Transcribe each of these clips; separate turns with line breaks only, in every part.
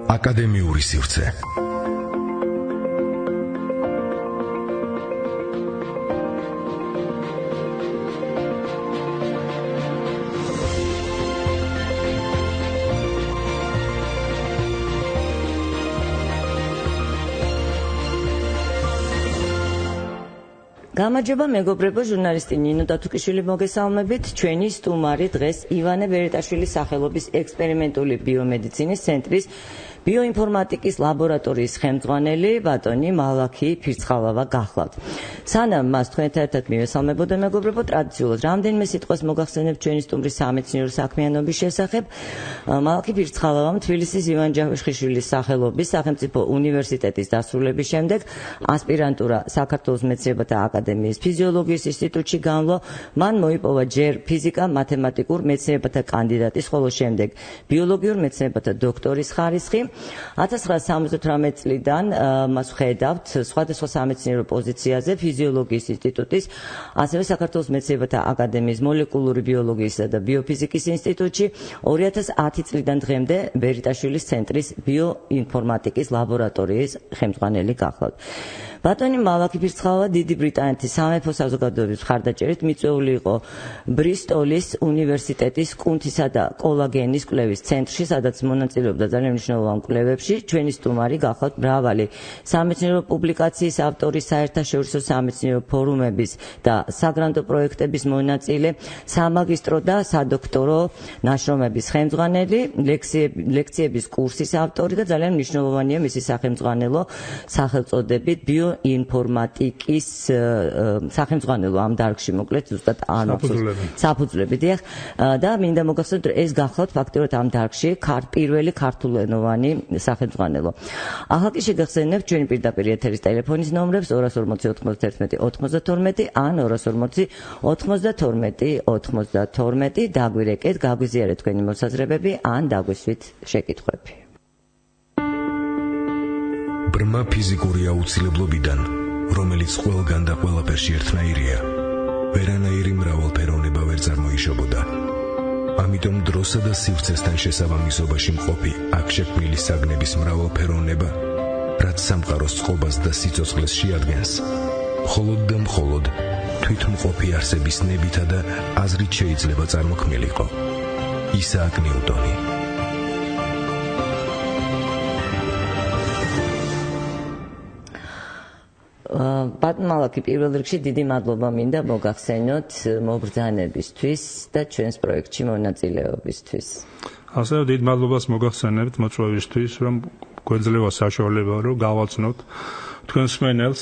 აკადემიური სივრცე.
გამარჯობა მეგობრებო, ჟურნალისტი ნინო დათუკიშვილი მოგესალმებით. ჩვენი სტუმარი დღეს ივანე ვერიტაშვილის სახელობის ექსპერიმენტული ბიომედიცინის ცენტრის ბიოინფორმატიკის ლაბორატორიის ხელმძღვანელი ბატონი მალაქი ფირცხალავა გახლავთ. სანამ მას თქვენთან ერთად მივესალმებოდა მეგობრებო, ტრადიციულად რამდენიმე სიტყვას მოგახსენებთ ჩვენი სტუმრის სამეცნიერო საქმიანობის შესახებ. მალაქი ფირცხალავამ თბილისის ივან ჯავახიშვილის სახელობის სახელმწიფო უნივერსიტეტის დასრულების შემდეგ ასპირანტურა საქართველოს მეცნიერებათა აკადემიის ფიზიოლოგიის ინსტიტუტში განვლო. მან მოიპოვა ჯერ ფიზიკა-მათემატიკურ მეცნიერებათა კანდიდატის, ხოლო შემდეგ ბიოლოგიურ მეცნიერებათა დოქტორის ხარისხი. 1978 წლიდან მას ხედავთ სხვადასხვა სამეცნიერო პოზიციაზე ფიზიოლოგიის ინსტიტუტის, ასევე საქართველოს მეცნიერებათა აკადემიის მოლეკულური ბიოლოგიისა და ბიოფიზიკის ინსტიტუტში, 2010 წლიდან დღემდე ვერიტაშვილის ცენტრის ბიოინფორმატიკის ლაბორატორიის ხელმძღვანელი გახლავთ. ბატონი მალაქი ფირცხალავა დიდი ბრიტანეთის სამეფო საზოგადოების მხარდაჭერით მიწვეული იყო ბრისტოლის უნივერსიტეტის კუნთისა და კოლაგენის კვლევის ცენტრში, სადაც მონაწილეობდა ძალიან მნიშვნელოვან კვლევებში. ჩვენი სტუმარი გახლავთ მრავალი სამეცნიერო პუბლიკაციის ავტორი, საერთაშორისო სამეცნიერო ფორუმების და საგრანტო პროექტების მონაწილე, სამაგისტრო და სადოქტორო ნაშრომების ხელმძღვანელი, ლექციების კურსის ავტორი და ძალიან მნიშვნელოვანია მისი სახელმძღვანელო სახელწოდებით ბიოინფორმატიკის სახელმძღვანელო ამ დარგში, მოკლედ ზუსტად საფუძვლები. დიახ, და მინდა მოგახსენოთ, რომ ეს გახლავთ ფაქტობრივად ამ დარგში პირველი ქართულენოვანი სახელმძღვანელო. ახლა კი შეგახსენებთ ჩვენი პირდაპირ ეთერის ტელეფონის ნომრებს 240 91 92 ან 240 92 92. დაგვირეკეთ, გაგვიზიარეთ თქვენი მოსაზრებები ან დაგვისვით შეკითხვები.
ბრმა ფიზიკური აუცილებლობიდან, რომელიც ყველგან და ყველაფერში ერთნაირია, ვერანაირი მრავალფეროვნება ვერ წარმოიშობოდა. ამიტომ დროსა და სივრცესთან შესაბამისობაში მყოფი აქ შექმნილი საგნების მრავალფეროვნება, რაც სამყაროს წყობას და სიცოცხლეს შეადგენს, მხოლოდ და მხოლოდ თვითმყოფი არსების ნებითა და აზრით შეიძლება წარმოქმნილიყო. ისააკ ნიუტონი.
ბატონ მალაქი, პირველ რიგში დიდი მადლობა მინდა მოგახსენოთ მობრძანებისთვის და ჩვენს პროექტში მონაწილეობისთვის.
ასევე დიდ მადლობას მოგახსენებთ მოწვევისთვის, რომ გვეძლევა საშუალება, რომ გავაცნოთ თქვენს მსმენელს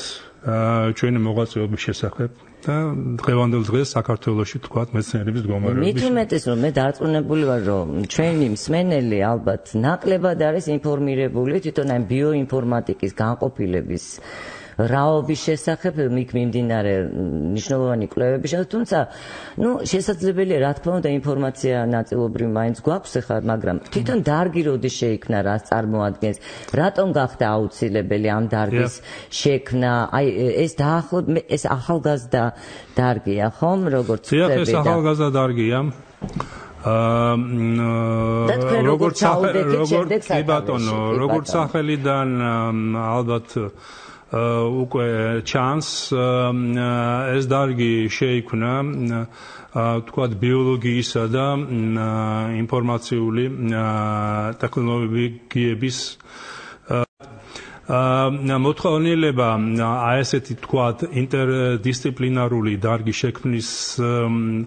ჩვენი მოღვაწეობის შესახებ და დღევანდელ დღეს საქართველოში თქვათ მეცნიერების მდგომარეობის.
მით უმეტეს, რომ მე დარწმუნებული ვარ, რომ ჩვენი მსმენელი ალბათ ნაკლებად არის ინფორმირებული თვითონ ამ ბიოინფორმატიკის განყოფილების რაობის შესახებ, მით მიმდინარე მნიშვნელოვანი კვლევების შესახებ, თუმცა, შესაძლებელია, რა თქმა უნდა, ინფორმაცია ნაწილობრივ მაინც გვაქვს ახლა, მაგრამ თვითონ დარგი როდის შეიქმნა, რას წარმოადგენს, რატომ გახდა აუცილებელი ამ დარგის შექმნა, აი ეს ახალგაზრდა დარგია, ხომ, როგორც
ხდება? ეს ახალგაზრდა დარგია. როგორც სახელიდან ალბათ უკვე ჩანს, ეს დარგი შეიქმნა თქვათ ბიოლოგიისა და ინფორმაციული ტექნოლოგიების მოთხოვნილება ესეთი თქვათ ინტერდისციპლინარული დარგი შექმნისათვის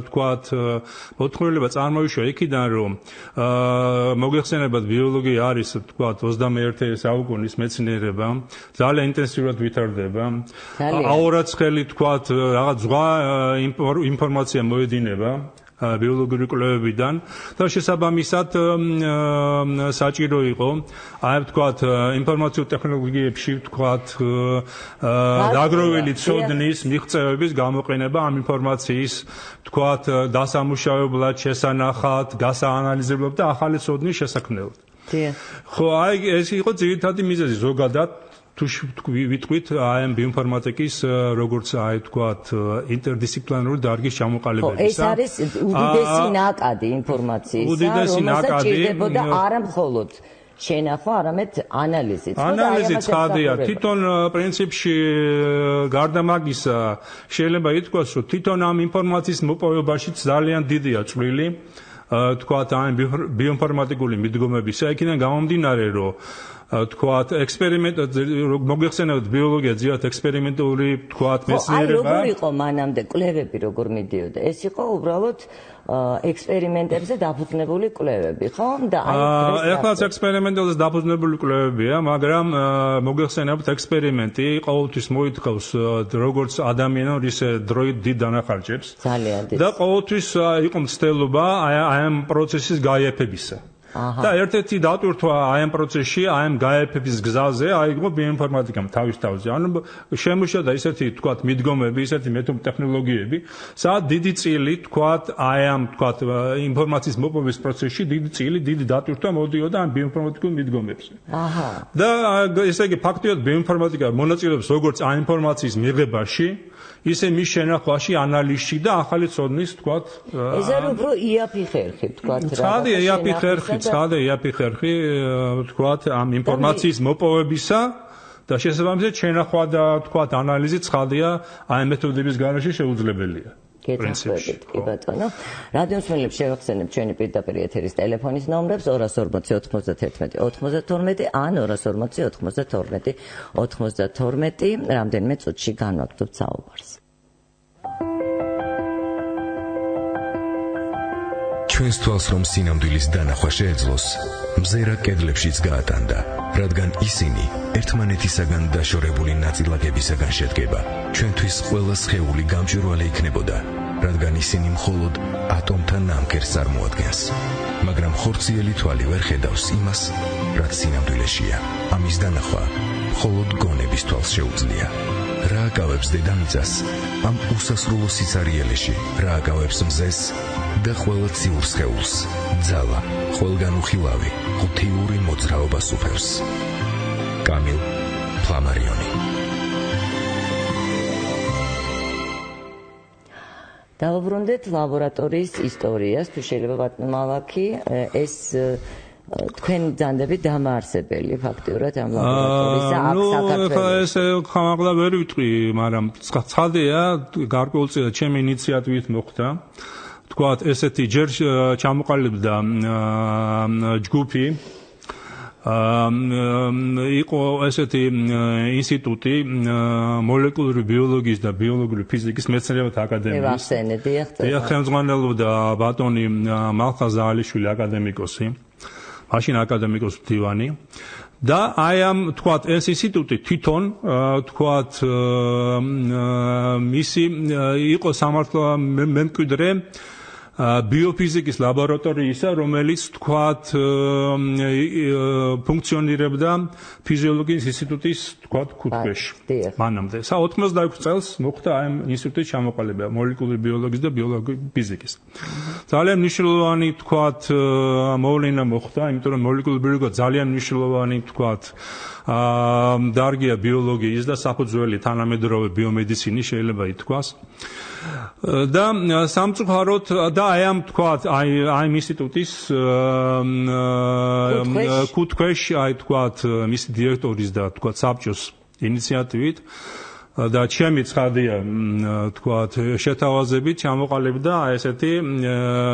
თქვათ მოთხოვნილება წარმოიშვა იქიდან, რომ მოგეხსენებათ ბიოლოგია არის თქვათ 21 საუკუნის მეცნიერება, ძალიან ინტენსიურად ვითარდება. აურაცხელი თქვათ რაღაც ზღვა ინფორმაცია მოედინება ბიოლოგიური კვლევებიდან და შესაბამისად საჭირო იყო აი ვთქვათ ინფორმაციულ ტექნოლოგიებში ვთქვათ დაგროვილი ცოდნის მიღწევების გამოყენება ამ ინფორმაციის ვთქვათ დასამუშავებლად, შესანახად, გასაანალიზებლად და ახალი ცოდნის შესაქმნელად. ხო, აი ეს იყო ძირითადი მიზეზი ზოგადად თუ ვიტყვით აი ამ ბიოინფორმატიკის როგორც აი თქვათ ინტერდისციპლინარული დარგის ჩამოყალიბებისა.
ეს არის უდიდესი ნაკადი ინფორმაციისა, რომელსაც ჭირდებოდა არა მხოლოდ შენახვა, არამედ ანალიზიც.
ანალიზიც ხადია. თვითონ პრინციპში გარდა მაგისა შეიძლება ითქვას, რომ თვითონ ამ ინფორმაციის მოპოვებაშიც ძალიან დიდია წვლილი თქვათ ამ ბიოინფორმატიკული მიდგომებისა. იქიდან გამომდინარე, რომ თქვათ მოგეხსენებათ ბიოლოგია ძირითადად ექსპერიმენტული თქვათ მეცნიერება.
როგორ იყო მანამდე კვლევები როგორ მიდიოდა? ეს იყო უბრალოდ ექსპერიმენტებზე დაფუძნებული კვლევები, ხო? და
ეხლაც ექსპერიმენტებზე დაფუძნებული კვლევებია, მაგრამ მოგეხსენებათ ექსპერიმენტი ყოველთვის მოითხოვს როგორც ადამიანს ისე დროით დიდ დანახარჯებს.
ძალიან დიდ.
და ყოველთვის იყო მცდელობა აი ამ პროცესის გაიაფებისა. და ერთ-ერთი დატვირთვა აი ამ პროცესში, აი ამ გაიაფების გზაზე აიგო ბიოინფორმატიკამ თავის თავზე. ანუ შემუშავდა ისეთი თქვათ მიდგომები, ისეთი ტექნოლოგიები, სადაც დიდი წილი თქვათ აი ამ თქვათ ინფორმაციის მოპოვების პროცესში დიდი წილი, დიდი დატვირთვა მოდიოდა ამ ბიოინფორმატიკულ მიდგომებზე. და ესე იგი ფაქტიურად ბიოინფორმატიკა მონაწილეობს როგორც ამ ინფორმაციის მიღებაში, ისე მის შენახვაში, ანალიზში და ახალი ცოდნის თქვათ
ეს არის უფრო იაფი ხერხი თქვათ რა.
ცხადია იაფი ხერხი თქვათ ამ ინფორმაციის მოპოვებისა და შესაბამისად შენახვა და თქვათ ანალიზი ცხადია აი მეთოდების გარეშე შეუძლებელია.
გეთანხმებით, კი ბატონო. რადიო მსმენელებს შევახსენებ ჩვენი პირდაპირ ეთერის ტელეფონის ნომრებს 240 91 92 ან 240 92 92. რამდენიმე წუთში განვაგრძობთ საუბარს.
ჩვენს თვალს რომ სინამდვილის დანახვა შეეძლოს, მზერა კედლებშიც გაატანდა, რადგან ისინი ერთმანეთისაგან დაშორებული ნაწილაკებისაგან შედგება. ჩვენთვის ყველა სხეული გამჭვირვალე იქნებოდა, რადგან ისინი მხოლოდ ატომთა ნამქერს წარმოადგენს. მაგრამ ხორციელი თვალი ვერ ხედავს იმას, რაც სინამდვილეშია. ამის დანახვა მხოლოდ გონების თვალს შეუძლია. რა აკავებს დედამიწას ამ უსასრულო სიცარიელეში, რა აკავებს მზეს და ყველა ციურ სხეულს, ძალა, ყველგან უხილავი, ღუთიური მოძრაობა სუფევს. კამილ ფლამარიონი.
დავუბრუნდეთ ლაბორატორიის ისტორიას, თუ შეიძლება ბატონო მალაკი, ეს თქვენ ძანდები დამაარსებელი ფაქტიურად ამ ლაბორატორიისა აქ საქართველოს.
ეს ხამაღლა ვერ ვიტყვი, მაგრამ ცხადია, გარკვეულწილად ჩემი ინიციატივით მოხდა. თქვათ ესეთი ჯერ ჩამოყალიბდა ჯგუფი, იყო ესეთი ინსტიტუტი მოლეკულური ბიოლოგიის და ბიოლოგიური ფიზიკის მეცნიერებათა აკადემიის. ხელმძღვანელობდა ბატონი მალხაზ ზაალიშვილი აკადემიკოსი, მაშინ აკადემიკოს მდივანი. და აი ამ თქვათ ეს ინსტიტუტი თვითონ თქვათ მისი იყო სამართლა მემკვიდრე ბიოფიზიკის ლაბორატორიისა, რომელიც თქვათ ფუნქციონირებდა ფიზიოლოგიის ინსტიტუტის თქვათ ქუთქვეში. მანამდე 86 წელს მოხდა ამ ინსტიტუტის ჩამოყალიბება მოლეკულური ბიოლოგიის და ბიოლოგიური ფიზიკის. ძალიან მნიშვნელოვანი თქვათ მოვლენა მოხდა, იმიტომ რომ მოლეკულური ბიოლოგია ძალიან მნიშვნელოვანი თქვათ დარგია ბიოლოგიის და საფუძველი თანამედროვე ბიომედიცინის შეიძლება ითქვას. და სამწუხაროდ და აი ამ თქვათ აი ამ ინსტიტუტის ქუთქვეში აი თქვათ მისი დირექტორის და თქვათ საბჭოს ინიციატივით და ჩემი ცხადია თქვათ შეთავაზებით ჩამოყალიბდა აი ესეთი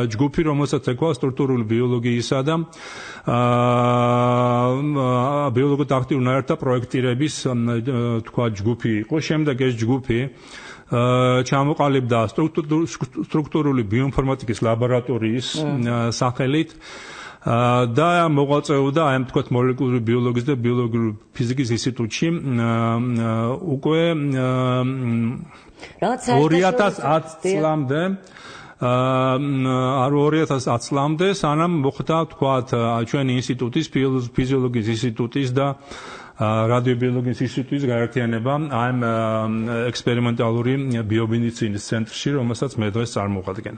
ჯგუფი, რომელსაც ეკვა სტრუქტურული ბიოლოგიისა და ბიოლოგიურ აქტიურ ნაერთთა პროექტირების თქვათ ჯგუფი იყო. შემდეგ ეს ჯგუფი ჩამოყალიბდა სტრუქტურული ბიოინფორმატიკის ლაბორატორიის სახელით და მოღვაწეობდა აი ამ თქვათ მოლეკულური ბიოლოგიის და ბიოლოგიური ფიზიკის ინსტიტუტში უკვე 2010 წლამდე 2010 წლამდე სანამ მოხდა თქვათ ჩვენი ინსტიტუტის ფიზიოლოგიის ინსტიტუტის და რადიობიოლოგიის ინსტიტუტის გაერთიანება ამ ექსპერიმენტალური ბიომედიცინის ცენტრში, რომელსაც მე დღეს წარმოვადგენ.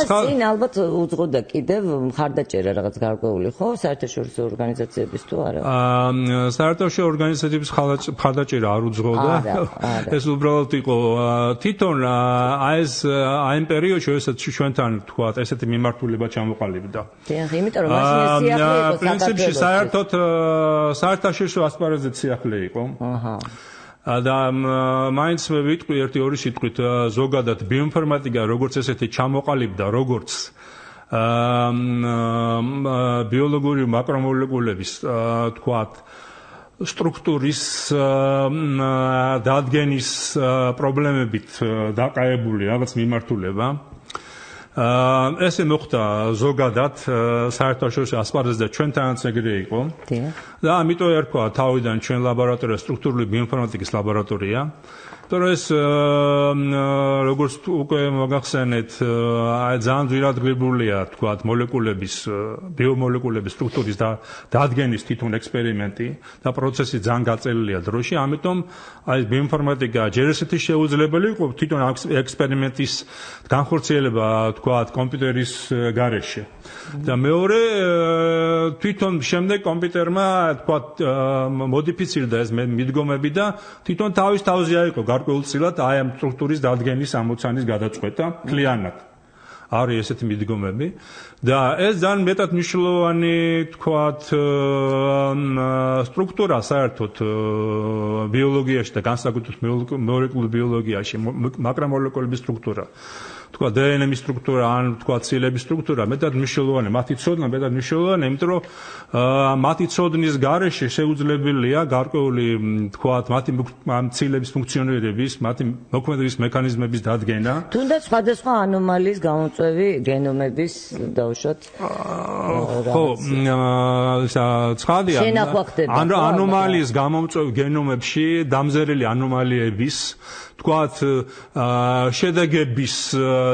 წინ ალბათ უძღოდა კიდევ მხარდაჭერა რაღაც გარკვეული, ხო? საერთაშორისო ორგანიზაციების თუ არა?
საერთაშორისო ორგანიზაციების მხარდაჭერა არ უძღოდა. ეს უბრალოდ იყო თვითონ აი ამ პერიოდში, როდესაც ჩვენთან თქვა ესეთი მიმართულება ჩამოყალიბდა.
დიახ, იმიტომ რომ მაშინ ეს სიახლე იყო
პრინციპში საერთაშორისო ასპარეზზე სიახლე იყო. და მაინც მე ვიტყვი ერთი-ორი სიტყვით ზოგადად ბიოინფორმატიკა როგორც ესეთი ჩამოყალიბდა, როგორც ბიოლოგიური მაკრომოლეკულების თქვათ სტრუქტურის დადგენის პრობლემებით დაყალიბებული რაღაც მიმართულება. ესე მოხდა ზოგადად საერთაშორისო ასპარეზზე ჩვენთანაც ეგრე იყო. და ამიტომ ერქვა თავიდან ჩვენ ლაბორატორია სტრუქტურული ბიოინფორმატიკის ლაბორატორია. თორე ეს როგორც უკვე მოგახსენეთ, ძალიან ძვირადღირებულია თქვათ მოლეკულების ბიომოლეკულების სტრუქტურის დადგენის თვითონ ექსპერიმენტი და პროცესი ძალიან გაწელილია დროში, ამიტომ აი ბიოინფორმატიკა ჯერ ესეთი შეუძლებელი იყო თვითონ ექსპერიმენტის განხორციელება თქვათ კომპიუტერის გარეშე. და მეორე თვითონ შემდეგ კომპიუტერმა თქვათ მოდიფიცირდა ეს მიდგომები და თვითონ თავზე აიყო გარკვეულწილად აი ამ სტრუქტურის დადგენის ამოცანის გადაწყვეტა მთლიანად. არის ესეთი მიდგომები და ეს ძალიან მეტად მნიშვნელოვანი თქვათ სტრუქტურა საერთოდ ბიოლოგიაში და განსაკუთრებით მოლეკულურ ბიოლოგიაში მაკრომოლეკულების სტრუქტურა. თქვა დნმ-ის სტრუქტურა ან თქვა ცილების სტრუქტურა მეტად მნიშვნელოვანია, მათი ცოდნა მეტად მნიშვნელოვანია, იმიტომ რომ მათი ცოდნის გარეშე შეუძლებელია გარკვეული თქვა მათი ცილების ფუნქციონირების, მათი მოქმედების მექანიზმების დადგენა.
თუნდაც სხვადასხვა ანომალიის გამომწვევი გენომების დავუშვათ.
ხო, ცხადია. ანომალიის გამომწვევ გენომებში დამზერილი ანომალიების თქვათ შედეგების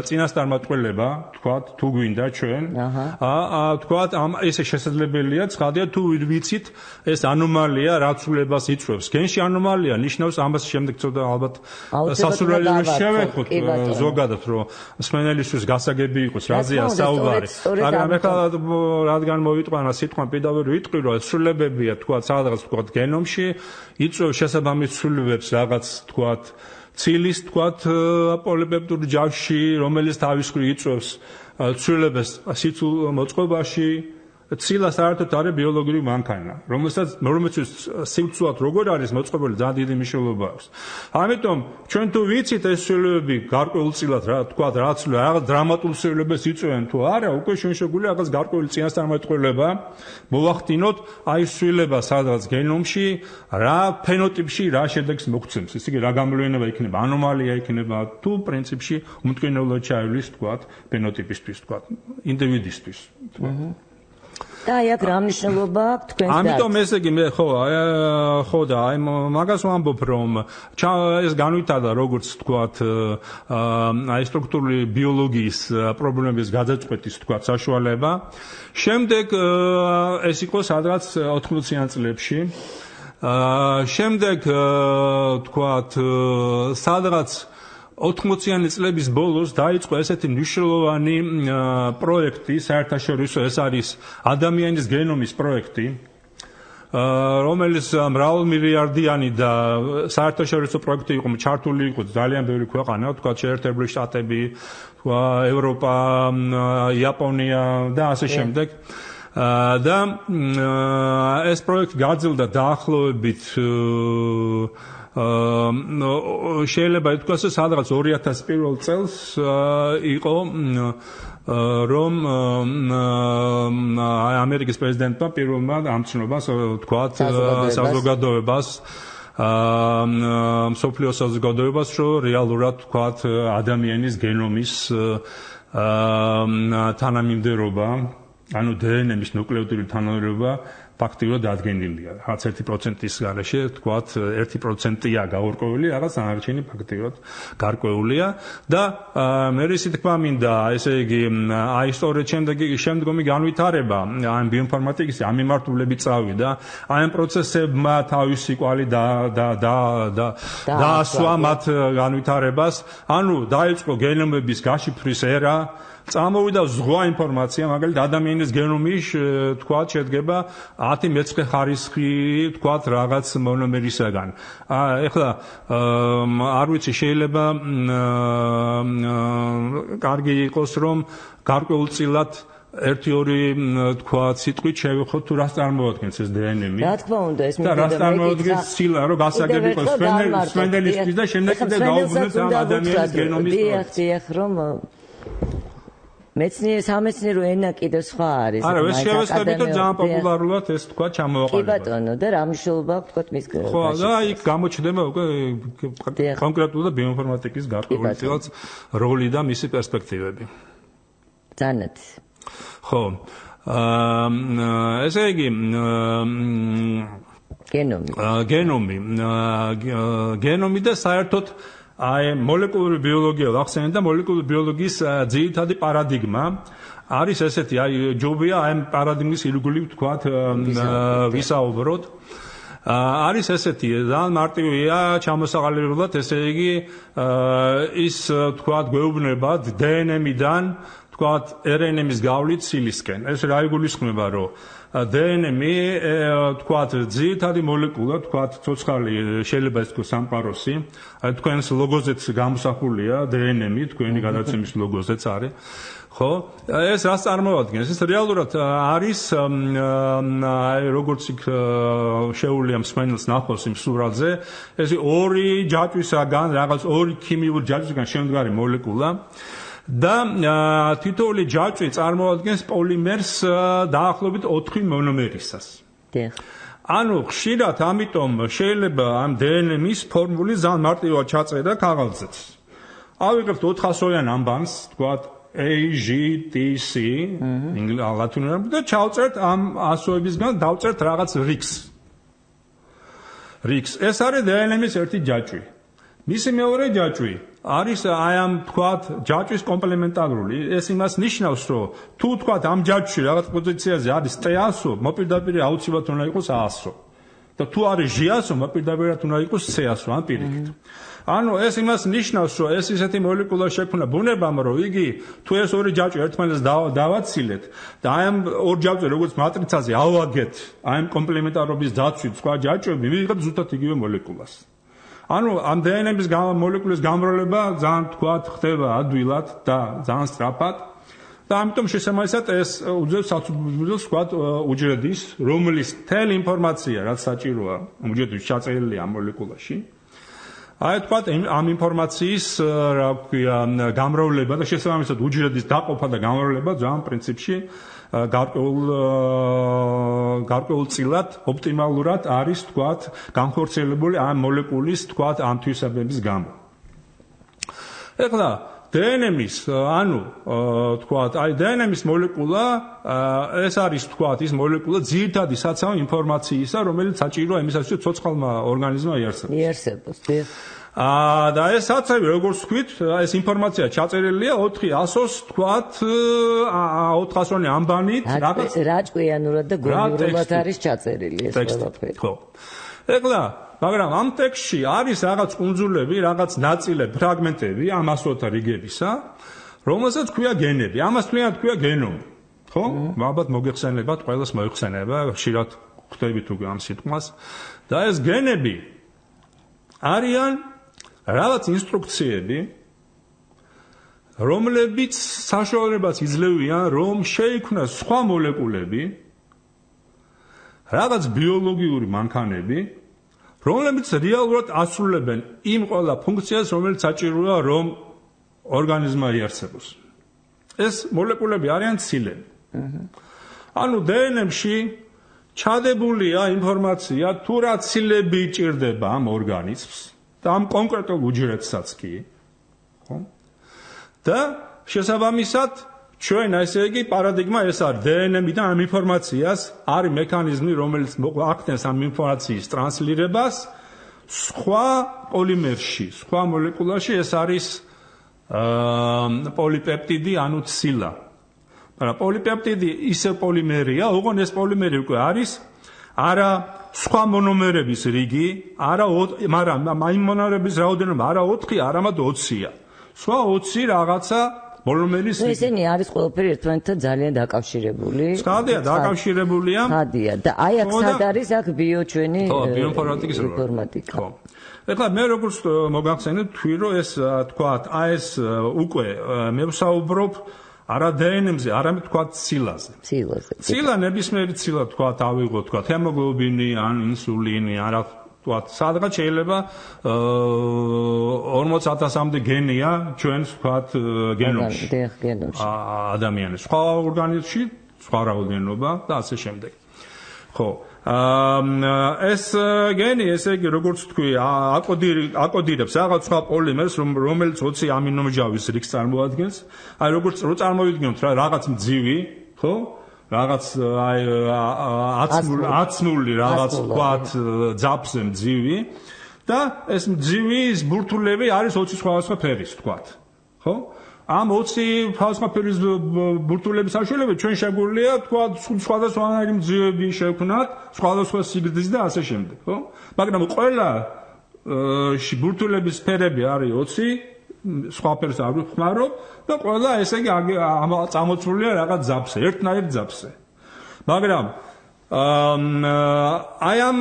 წინასწარმეტყველება, თქვათ თუ გვინდა ჩვენ. თქვათ ესე შესაძლებელია, ცხადია თუ ვიცით ეს ანომალია რა ცვლილებას იწვევს. გენში ანომალია ნიშნავს ამას შემდეგ ცოტა ალბათ სასურველი შევეხოთ ზოგადად რომ მსმენელისთვის გასაგები იყოს რაზეა საუბარი. მაგრამ ეხლა რადგან მოვიტყვანა სიტყვა პირდაპირ ვიტყვი რომ ცვლილებებია თქვათ სადღაც თქვათ გენომში იწვევს შესაბამის ცვლილებებს რაღაც თქვათ ცილის თქვათ პოლიპეპტიდურ ჯავშში, რომელიც თავის მხრივ იწვევს ცვლილებას სიცულ მოწყობაში. ცილა საერთოდ არის ბიოლოგიური მანქანა, რომელსაც სიცულად როგორ არის მოწყობილი ძალიან დიდი მნიშვნელობა აქვს. ამიტომ ჩვენ თუ ვიცით ეს ცვლილებები გარკვეულწილად რა თქვათ რაღაც დრამატულ ცვლილებას იწვევენ თუ არა, უკვე ჩვენ შეგვიძლია რაღაც გარკვეული წინასწარმეტყველება მოვახდინოთ აი ცვლილება სადღაც გენომში, რა ფენოტიპში რა შედეგს მოგცემს. ესე იგი რა გამოვლენა იქნება, ანომალია იქნება თუ პრინციპში უმტკივნეულად ჩაივლის თქვათ ფენოტიპისთვის თქვათ ინდივიდისთვის.
და აი აქ რა მნიშვნელობა აქვს თქვენს დარგს?
ამიტომ ესე იგი მე ხო და აი მაგას ვამბობ რომ ეს განვითარდა როგორც თქვათ აი სტრუქტურული ბიოლოგიის პრობლემების გადაწყვეტის თქვათ საშუალება. შემდეგ ეს იყო სადღაც 80-იან წლებში. შემდეგ თქვათ სადღაც 80-იანი წლების ბოლოს დაიწყო ესეთი მნიშვნელოვანი პროექტი საერთაშორისო, ეს არის ადამიანის გენომის პროექტი, რომელიც მრავალმილიარდიანი და საერთაშორისო პროექტი იყო, ჩართული იყო ძალიან ბევრი ქვეყანა, თქვა შეერთებული შტატები, თქვა ევროპა, იაპონია და ასე შემდეგ. და ეს პროექტი გაძლდა დაახლოებით შეიძლება ითქვას სადღაც 2001 წელს იყო რომ ამერიკის პრეზიდენტმა პირველმა ამცნობას თქვათ საზოგადოებას მსოფლიო საზოგადოებას რომ რეალურად თქვათ ადამიანის გენომის თანამიმდევრობა, ანუ დნმ-ის ნუკლეოტიდური თანამიმდევრობა ფაქტიურად დადგენილია. Რაღაც 1%-ის გარეშე, თქვათ 1%-ია გაურკვეველი, რაღაც დანარჩენი ფაქტიურად გარკვეულია და მე ისე თქვა მინდა, ესე იგი, აი სწორედ შემდგომი განვითარება ამ ბიოინფორმატიკის ამ მიმართულებით წავიდა, აი ამ პროცესებმა თავისი კვალი დაასვა მათ განვითარებას, ანუ დაიწყო გენომების გაშიფვრის ერა, წამოვიდა ზღვა ინფორმაცია, მაგალითად ადამიანის გენომი თქვათ შედგება 10 მეცხრე ხარისხი თქვათ რაღაც მონომერისაგან. ეხლა არ ვიცი, შეიძლება კარგი იყოს რომ გარკვეულწილად 1-2 თქვათ სიტყვით შევეხოთ თუ რას წარმოადგენს ეს დნმ.
რა თქმა უნდა, ეს
და რას წარმოადგენს ცილა, რომ გასაგები იყოს სვენდელისთვის და შემდეგ კიდე გაუგზავნოთ ამ ადამიანის გენომის
დიახ, რომ სამეცნიერო ენა კიდე სხვა არის.
არა, ეს შევესწრებით რომ ძალიან პოპულარულად ეს თქვა ჩამოვაყალიბა.
კი ბატონო, და რა მნიშვნელობა აქვს თქვა მის
ხო, და იქ გამოჩნდება უკვე კონკრეტულად ბიოინფორმატიკის გარკვეულწილად როლი და მისი პერსპექტივები.
ძანეთ.
ხო. ესე იგი გენომი და საერთოდ აი მოლეკულური ბიოლოგია ვახსენე და მოლეკულური ბიოლოგიის ძირითადი პარადიგმა არის ესეთი, აი ჯობია ამ პარადიგმის ირგვლივ თქვათ ვისაუბროთ. არის ესეთი, ძალიან მარტივია ჩამოსაყალიბებლად, ესე იგი ის თქვათ გვეუბნება დნმ-დან თქვათ RNA-ის გავლით ცილისკენ. ეს რა იგულისხმება, რომ დნმ თქვათ ძირითადი მოლეკულა, თქვათ ცოცხალი შეიძლება ის თქვა სამყაროსი, აი თქვენს ლოგოზეც გამოსახულია დნმ, თქვენი გადაცემის ლოგოზეც არის. ხო, ეს რას წარმოადგენს? ეს რეალურად არის აი როგორც იქ შეუძლია მსმენელს ნახოს იმ სურათზე, ეს ორი ჯაჭვისაგან, რაღაც ორი ქიმიური ჯაჭვისაგან შემდგარი მოლეკულა. და თითოეული ჯაჭვი წარმოადგენს პოლიმერს დაახლოებით 4 მონომერისას. ანუ ხშირად ამიტომ შეიძლება ამ დნმ-ის ფორმული ძალიან მარტივად ჩაწერა ქაღალდზეც. ავიღებთ 400-იან ამბანს, თქვათ AGTC, ლათინურად და ჩავწერთ ამ ასოებისგან დავწერთ რაღაც რიგს. ეს არის დნმ-ის ერთი ჯაჭვი. მისი მეორე ჯაჭვი არის აი ამ თქვათ ჯაჭვის კომპლემენტარული. ეს იმას ნიშნავს, რომ თუ თქვათ ამ ჯაჭვში რაღაც პოზიციაზე არის T100, მოპირდაპირ აუცილებლად უნდა იყოს A100. და თუ არის G100, მოპირდაპირ უნდა იყოს C100, ან პირიქით. ანუ ეს იმას ნიშნავს, რომ ეს ისეთი მოლეკულა შექმნა ბუნებამ, რომ იგი თუ ეს ორი ჯაჭვი ერთმანეთს დავაცილეთ და აი ამ ორ ჯაჭვზე როგორც მატრიცაზე ავაგეთ, აი ამ კომპლემენტარობის დაცვით სხვა ჯაჭვები ვიღებთ ზუსტად იგივე მოლეკულას. ანუ ამ დნმ-ის მოლეკულის გამრავლება ძალიან თქვათ ხდება ადვილად და ძალიან სწრაფად და ამიტომ შესაბამისად ეს უძევს საცუძველს თქვათ უჯრედის, რომლის მთელი ინფორმაცია, რაც საჭიროა უჯრედის ჩაწერილია ამ მოლეკულაში. აი თქვათ ამ ინფორმაციის რა ქვია გამრავლება და შესაბამისად უჯრედის დაყოფა და გამრავლება ძალიან პრინციპში გარკვეულწილად ოპტიმალურად არის თქვათ განხორციელებული ამ მოლეკულის თქვათ ამ თვისებების გამო. ეხლა დნმ-ის ანუ თქვათ აი დნმ-ის მოლეკულა ეს არის თქვათ ის მოლეკულა ძირითადი საცავი ინფორმაციისა, რომელიც საჭიროა იმისათვის, რომ ცოცხალმა ორგანიზმმა
იარსებოს.
და ეს საცავი როგორც ვთქვით, ეს ინფორმაცია ჩაწერილია 400-ს თქვათ 400-იანი ამბანით,
რაღაც რაჭკვიანურად და გონივრულად არის ჩაწერილი ეს ყველაფერი.
ხო. ეხლა მაგრამ ამ ტექსტში არის რაღაც კუნძულები, რაღაც ნაწილები, ფრაგმენტები ამ ასოთა რიგებისა, რომელსაც ქვია გენები. ამას ქვია გენომი. ხო? ალბათ მოგეხსენებათ, ყველას მოიხსენება, ხშირად ხვდებით უკვე ამ სიტყვას. და ეს გენები არიან რაღაც ინსტრუქციები, რომლებიც საშუალებას იძლევიან, რომ შეიქმნას სხვა მოლეკულები, რაღაც ბიოლოგიური მანქანები, რომლებიც რეალურად ასრულებენ იმ ყველა ფუნქციას, რომელიც საჭიროა, რომ ორგანიზმმა იარსებოს. ეს მოლეკულები არიან ცილები. ანუ დნმ-ში ჩადებულია ინფორმაცია, თუ რა ცილები ჭირდება ამ ორგანიზმს და ამ კონკრეტულ უჯრედსაც კი, ხო? და შესაბამისად ჩვენ ესე იგი პარადიგმა ეს არის DNM-დან ამ ინფორმაციას არის მექანიზმი რომელიც ახდენს ამ ინფორმაციის ტრანსლირებას სხვა პოლიმერში, სხვა მოლეკულაში ეს არის პოლიპეპტიდი ანუ ცილა. მაგრამ პოლიპეპტიდი ისე პოლიმერია, ოღონდ ეს პოლიმერი უკვე არის არა სხვა მონომერების რიგი, მაგრამ იმ მონომერების რაოდენობა არა 4, არამედ 20-ია. სხვა 20 რაღაცა მონომერის რიგი.
ესენი არის ყველაფერი ერთმანეთთან ძალიან დაკავშირებული.
ხადია, დაკავშირებულია.
ხადია. და აი აქ სად არის აქ ჩვენი
ინფორმატიკა. ხო. ეხლა მე როგორც მოგახსენეთ, თქვი რომ ეს თქვათ, ეს უკვე მე ვსაუბრობ არა DNM-ზე, არამედ თქვათ ცილაზე. ცილა ნებისმიერი ცილა თქვათ ავიღოთ, თქვათ ჰემოგლობინი ან ინსულინი, არა თქვათ სადღაც შეიძლება 40,000-მდე გენია ჩვენს თქვათ გენომში. ადამიანის სხვა ორგანიზმში სხვა რაოდენობა და ასე შემდეგ. ხო. ეს გენი ესე იგი როგორც თქვი აკოდირებს რაღაც სხვა პოლიმერს რომელიც 20 ამინომჟავის რიგს წარმოადგენს. აი როგორც რო წარმოვიდგინოთ რა რაღაც მძივი, ხო? რაღაც აი აცმული რაღაც თქვათ ძაფზე მძივი და ეს მძივის ბურთულები არის 20 სხვადასხვა ფერის თქვათ. ხო? ამ 20 სხვადასხვა ფერის ბურთულების საშუალებით ჩვენ შეგვიძლია თქვათ სხვადასხვანაირი მძივები შევქმნათ, სხვადასხვა სიგრძის და ასე შემდეგ, ხო? მაგრამ ყველა ბურთულების ფერები არის 20, სხვა ფერს არ ვხმარობ და ყველა ესე იგი წამოწმულია რაღაც ძაფზე, ერთნაირ ძაფზე. მაგრამ აი ამ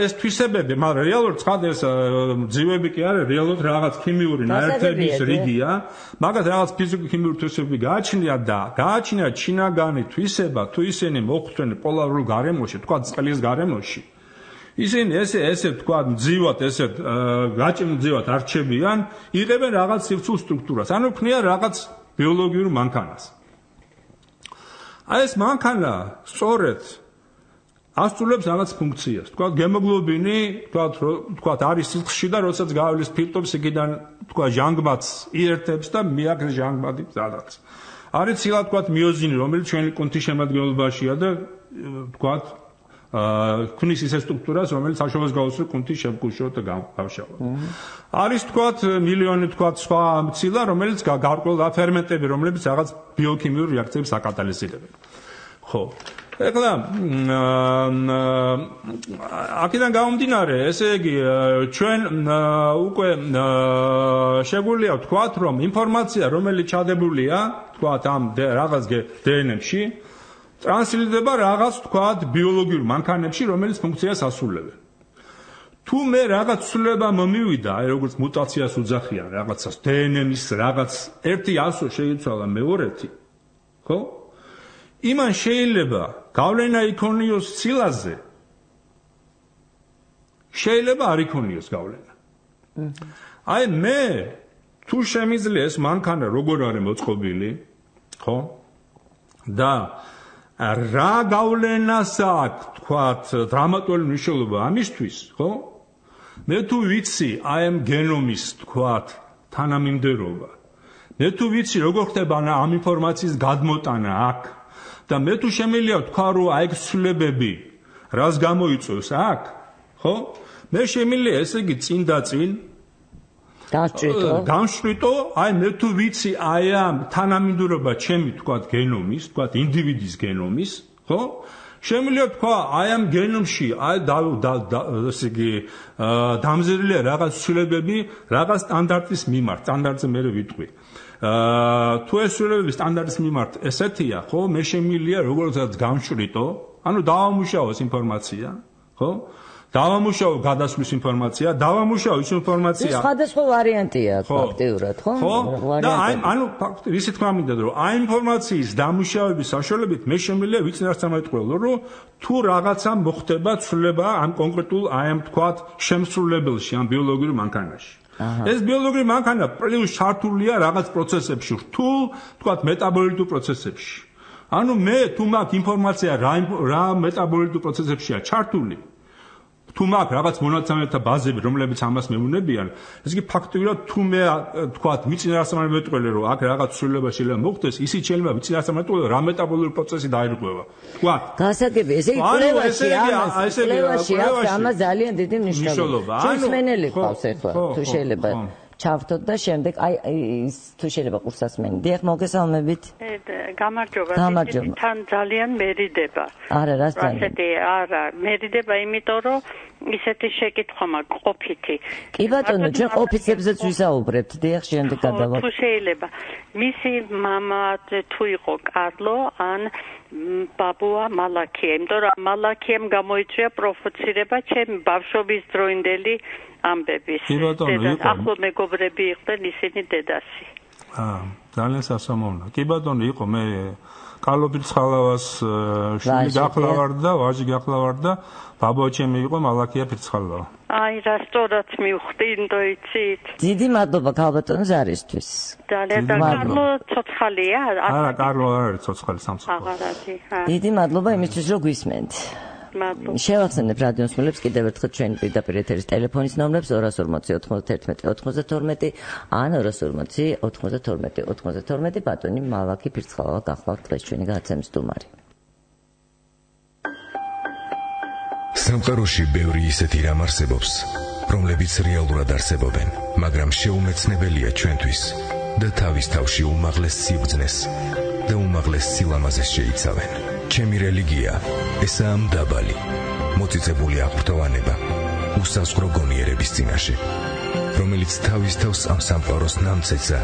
ეს თვისებები, მაგრამ რეალურად ცხად ეს მძივები კი არის, რეალურად რაღაც ქიმიური ნაერთების რიგია, მაგათ რაღაც ფიზიკო-ქიმიური თვისებები გააჩნია ჩინაგანი თვისება, თუ ისინი მოხვდნენ პოლარულ გარემოში, თქვა წყლის გარემოში. ისინი ესე თქვა მძივად, ესე გაჭიმძივად არჩებიან, იღებენ რაღაც სივრცულ სტრუქტურას, ანუ ქმნიან რაღაც ბიოლოგიურ მანქანას. აი ეს მანქანა სწორედ ასრულებს რაღაც ფუნქციას. თქვა ჰემოგლობინი, თქვა არის სიცხეში და როდესაც გავლის ფირტობს, იქიდან თქვა ჟანგბადს იერთებს და მიაგრეს ჟანგბადი სადაც. არის ცილა თქვა მიოზინი, რომელიც ჩვენი კუნთის შემადგენლობაშია და თქვა ქმნის ისე სტრუქტურას, რომელიც საშუალებას გაუსწრებს კუნთის შევკუშოთ და გავშალოთ. არის თქვა მილიონი თქვა სხვა ცილა, რომელიც გარკვეულ ფერმენტები, რომლებიც რაღაც ბიოქიმიურ რეაქციებს აკატალიზირებენ. ხო. ეხლა აქედან გამომდინარე, ესე იგი ჩვენ უკვე შეგვიძლია ვთქვათ, რომ ინფორმაცია, რომელიც ჩადებულია, ვთქვათ ამ რაღაც DNM-ში, ტრანსლირდება რაღაც ვთქვათ ბიოლოგიურ მანქანებში, რომელიც ფუნქციას ასრულებენ. თუ მე რაღაც ცვლილება მომივიდა, აი როგორც მუტაციას უძახიან რაღაცას, DNM-ის რაღაც ერთი ასო შეიცვალა მეორეთი, ხო? იმან შეიძლება გავლენა იქონიოს ცილაზე. შეიძლება არ იქონიოს გავლენა. აი მე თუ შემიძლია ეს მანქანა როგორ არის მოწყობილი, ხო? და რა გავლენას აქვს, თქვათ, დრამატული მნიშვნელობა ამისთვის, ხო? მე თუ ვიცი აი ამ გენომის, თქვათ, თანამიმდევრობა. მე თუ ვიცი როგორ ხდება ამ ინფორმაციის გადმოტანა აქ და მე თუ შემიძლია ვთქვა, რომ აი ეს ცვლილებები რას გამოიწვევს აქ, ხო? მე შემიძლია ესე იგი წინ და წინ განშვრიტო, აი მე თუ ვიცი აი ამ თანამიმდევრობა ჩემი თქვათ გენომის, თქვათ ინდივიდის გენომის, ხო? შემიძლია ვთქვა, აი ამ გენომში აი ესე იგი დამზადებულია რაღაც ცვლილებები რაღაც სტანდარტის მიმართ, სტანდარტზე მე ვიტყვი. თუ ეს ცვლილებები სტანდარტის მიმართ ესეთია, ხო, მე შემიძლია როგორცაც გამშვიდო, ანუ დავამუშავოს ინფორმაცია, ხო? დავამუშავო გადასვლის ინფორმაცია, დავამუშავო ის ინფორმაცია.
ის სხვადასხვა ვარიანტია ფაქტიურად, ხო?
და ანუ ისე თქვა მინდა, რომ აი ინფორმაციის დამუშავების საშუალებით მე შემიძლია ვიცნარს წამოიტყველო, რომ თუ რაღაცა მოხდება ცვლილება ამ კონკრეტულ აი ამ თქვათ შემსრულებელში, ამ ბიოლოგიურ მანქანაში. ეს ბიოლოგიური მანქანა პლუს ჩართულია რაღაც პროცესებში, რთულ, თქვათ მეტაბოლიტურ პროცესებში. ანუ მე თუ მაქვს ინფორმაცია რა მეტაბოლიტურ პროცესებშია ჩართული, თუ მაქვს რაღაც მონაცემთა ბაზები, რომლებიც ამას მეუბნებიან, ეს იგი ფაქტობრივად თუ მე თქვათ მიწინააღმდეგო მეტყველე რომ აქ რაღაც ცვლილება შეიძლება მოხდეს, ისიც შეიძლება მიწინააღმდეგო რა მეტაბოლური პროცესი დაირღვევა. თქვა.
გასაგები, ესე იგი კვლევაში ამას ძალიან დიდი მნიშვნელობა. ჩვენს მენელი ყავს ახლა, თუ შეიძლება ჩავთოთ და შემდეგ თუ შეიძლება ყურსასმენი. დიახ, მოგესალმებით.
გამარჯობა. თან ძალიან მერიდება.
არა, რას ძალიან.
არა, მერიდება იმიტომ რომ ისეთი შეკითხვა მაქვს ყოფითი.
კი ბატონო, ჩვენ ყოფიცებზეც ვისაუბრებთ. დიახ, შემდეგ გადავალ.
თუ შეიძლება. მისი მამა თუ იყო კარლო ან ბაბუა მალაქია, იმიტომ რომ მალაქიამ გამოიწვია პროფოცირება ჩემი ბავშვობის დროინდელი ამბების. ახლო მეგობრები იყვნენ ისინი დედასი.
ძალიან სასამოვნო. კი ბატონო, იყო მე კარლო ფირცხალავას შვილი გახლავარ და ვაჟი გახლავარ და ბაბუა ჩემი იყო მალაქია ფირცხალავა.
აი რა სწორად მივხვდი, ინდო იცით.
დიდი მადლობა ქალბატონო ზარისთვის.
ძალიან და კარლო ცოცხალია?
არა, კარლო არ არის ცოცხალი სამწუხაროდ.
აღარადი.
დიდი მადლობა იმისთვის რომ გვისმენთ. შევახსენებ რადიოს მსმენელებს კიდევ ერთხელ ჩვენი პირდაპირ ეთერის ტელეფონის ნომრებს 240 91 92 ან 240 92 92 ბატონი მალაქი ფირცხალავა გახლავთ დღეს ჩვენი გადაცემის სტუმარი.
სამყაროში ბევრი ისეთი რამ არსებობს, რომლებიც რეალურად არსებობენ, მაგრამ შეუმეცნებელია ჩვენთვის და თავის თავში უმაღლეს სიბრძნეს და უმაღლეს სილამაზეს შეიცავენ. ჩემი რელიგია ესაა მდაბალი, მოწიწებული აღფრთოვანება, უსაზღვრო გონიერების წინაშე, რომელიც თავის თავს ამ სამყაროს ნამცეცა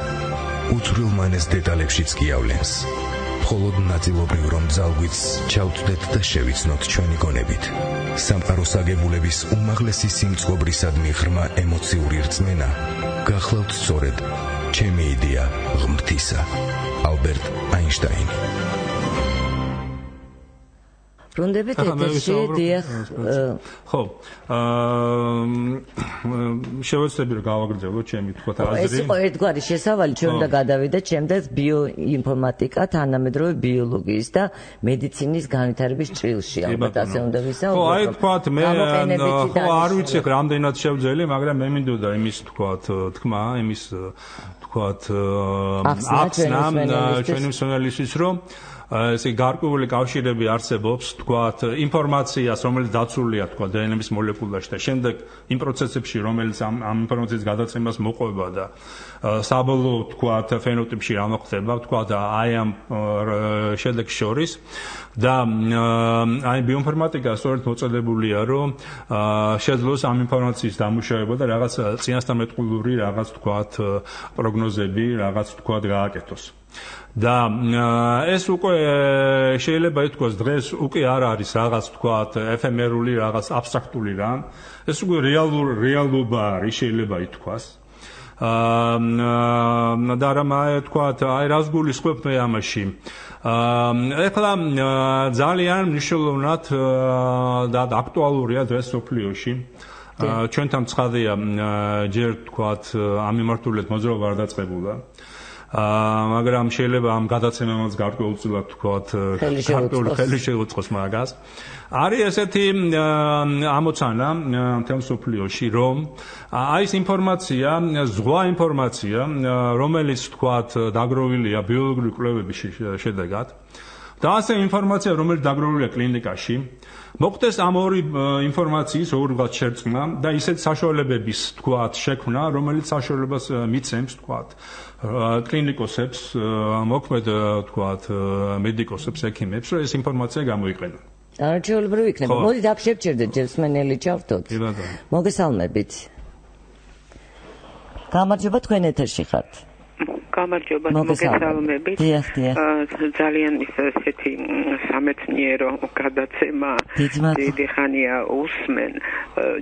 უცვლელმანეს დეტალებშიც გიავლენს. მხოლოდ ნაწილობრივ რომ ძალგვიც ჩავწვდეთ და შევიცნოთ ჩვენი გონებით. სამყაროს აგებულების უმაღლესი სიმწყობრისადმი ღრმა ემოციური რწმენა გახლავთ სწორედ ჩემი იდეა ღმრთისა. ალბერტ აინშტაინი.
ბრუნდებით ეთერში, დიახ.
ხო. შევეცდები რომ გავაგრძელო ჩემი თქვათ აზრი.
ეს იყო ერთგვარი შესავალი, ჩვენ უნდა გადავიდეთ შემდეგ ბიოინფორმატიკა, თანამედროვე ბიოლოგიის და მედიცინის განვითარების ჭრილში. ალბათ ასე უნდა ვისაუბროთ.
ხო, აი თქვათ მე არ ვიცი რამდენად შევძელი, მაგრამ მე მინდოდა იმის თქვათ თქმა, იმის თქვათ ახსნა ჩვენი მსმენელისთვის რომ ესე გარკვეული კავშირები არსებობს, თქვათ, ინფორმაციას, რომელიც დაცულია, თქვათ, დნმ-ის მოლეკულაში და შემდეგ იმ პროცესებში, რომელიც ამ ინფორმაციის გადაცემას მოყვება და საბოლოო, თქვათ, ფენოტიპში რა მოხდება, თქვათ, აი ამ შედეგს შორის და აი ბიოინფორმატიკა სწორედ მოწოდებულია, რომ შეძლოს ამ ინფორმაციის დამუშავება და რაღაც წინასწარმეტყველური რაღაც, თქვათ, პროგნოზები, რაღაც, თქვათ, გააკეთოს. და ეს უკვე შეიძლება ითქვას დღეს უკვე არ არის რაღაც თქვათ ეფემერული რაღაც აბსტრაქტული რამ, ეს უკვე რეალობა არის, შეიძლება ითქვას. და რამ თქვათ აი რას გულისხმობთ მე ამაში. ეხლა ძალიან მნიშვნელოვნად და აქტუალურია დღეს სოფლიოში. ჩვენთან ცხადია ჯერ თქვათ ამ მიმართულებით მოძრაობა არ დაწყებულა. მაგრამ შეიძლება ამ გადაცემამაც გარკვეულწილად თქვათ ხელი შეუწყოს მაგას. არის ესეთი ამოცანა მთელ სოფლიოში, რომ აი ეს ინფორმაცია, ზღვა ინფორმაცია, რომელიც თქვათ დაგროვილია ბიოლოგიური კვლევების შედეგად და ასე ინფორმაცია, რომელიც დაგროვილია კლინიკაში, მოხდეს ამ ორი ინფორმაციის ორგად შერწყმა და ისეთ საშუალებების თქვათ შექმნა, რომელიც საშუალებას მიცემს თქვათ კლინიკოსებს, მოქმედ თქვათ მედიკოსებს, ექიმებს, რომ ეს ინფორმაცია გამოიყენონ.
არაჩვეულებრივი იქნება. მოდით აქ შევჭერდეთ ჯერსმენელი ჩავთოთ. მოგესალმებით. გამარჯობა, თქვენ ეთერში ხართ.
გამარჯობა, მოგესალმებით.
დიახ.
ძალიან ისეთი სამეცნიერო გადაცემა დიდი ხანია უსმენ.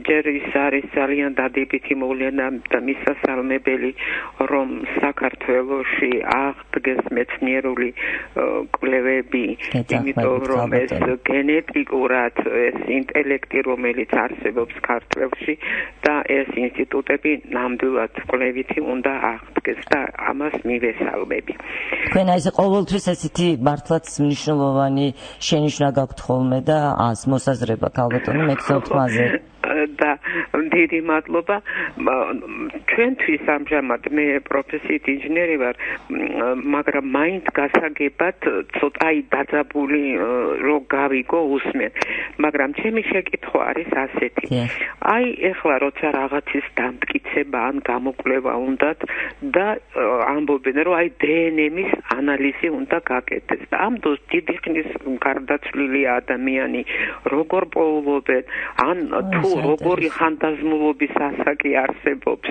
ჯერ ის არის ძალიან დადებითი მოვლენა და მისასალმებელი, რომ საქართველოში აღდგეს მეცნიერული კვლევები, იმიტომ რომ ეს გენეტიკურად ეს ინტელექტი, რომელიც არსებობს ქართლებში და ეს ინსტიტუტები ნამდვილად კვლევითი უნდა აღდგეს და ამას მივესალმები.
თქვენ აი ეს ყოველთვის ესეთი მართლაც მნიშვნელოვანი შენიშვნა გაქვთ ხოლმე და ას მოსაზრება ქალბატონო მე გსაუბრობ მასზე.
და დიდი მადლობა ჩვენთვის ამჟამად მე პროფესიით ინჟინერი ვარ მაგრამ მაინც გასაგებად ცოტა დაძაბული რო გავიგო უსმენ მაგრამ ჩემი შეკითხვა არის ასეთი აი ეხლა როცა რაღაცის დამტკიცება ან გამოკვლევა უნდათ და ამბობენ რომ აი დნმ-ის ანალიზი უნდა გაკეთდეს და ამ დროს დიდი ხნის გარდაცვლილი ადამიანი როგორ პოულობენ ან თუ როგორი ხანდაზმულობის ასაკი არსებობს